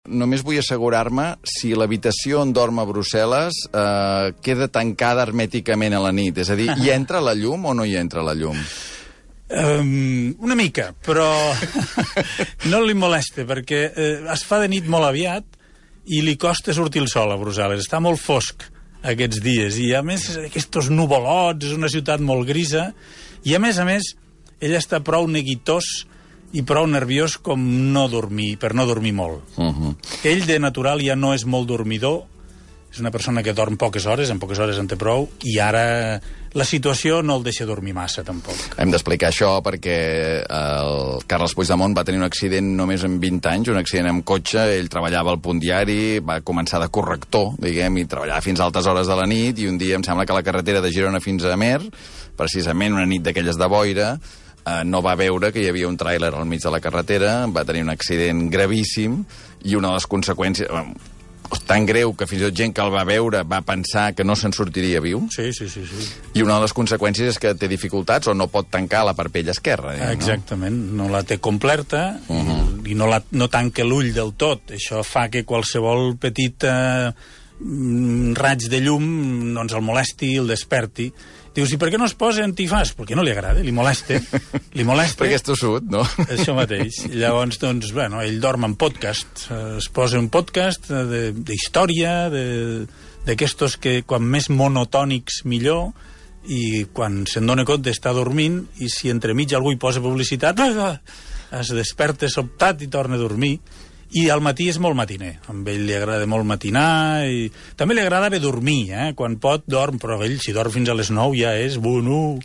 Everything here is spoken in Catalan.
Només vull assegurar-me si l'habitació on dorm a Brussel·les queda tancada hermèticament a la nit. És a dir, hi entra la llum o no hi entra la llum? Una mica, però no li molesta, perquè es fa de nit molt aviat i li costa sortir el sol a Brussel·les. Està molt fosc aquests dies, i a més aquests nuvolots, és una ciutat molt grisa, i a més, ell està prou neguitós i prou nerviós com per no dormir molt. Ell, de natural, ja no és molt dormidor, és una persona que dorm poques hores, en poques hores en té prou, i ara la situació no el deixa dormir massa, tampoc. Hem d'explicar això perquè el Carles Puigdemont va tenir un accident només amb 20 anys, un accident amb cotxe, ell treballava al Punt Diari, va començar de corrector, diguem, i treballava fins a altes hores de la nit, i un dia em sembla que la carretera de Girona fins a Amer, precisament una nit d'aquelles de boira, no va veure que hi havia un tràiler al mig de la carretera, va tenir un accident gravíssim, i una de les conseqüències... tan greu que fins i tot gent que el va veure va pensar que no se'n sortiria viu. Sí. I una de les conseqüències és que té dificultats o no pot tancar la parpella esquerra. Exactament, no la té completa i no tanca l'ull del tot. Això fa que qualsevol petit raig de llum doncs el molesti i el desperti. Dius, i per què no es posa antifàs? Perquè no li agrada, li molesta. Perquè és tossut, no? Això mateix. Llavors, doncs, bueno, ell dorm en podcast. Es posa un podcast d'història, d'aquestos que quan més monotònics millor, i quan se'n dona compte està dormint, i si entremig algú hi posa publicitat, es desperta sobtat i torna a dormir. I al matí és molt matiner. A ell li agrada molt matinar, i també li agrada bé dormir, quan pot dorm, però ell si dorm fins a les 9 ja és bueno.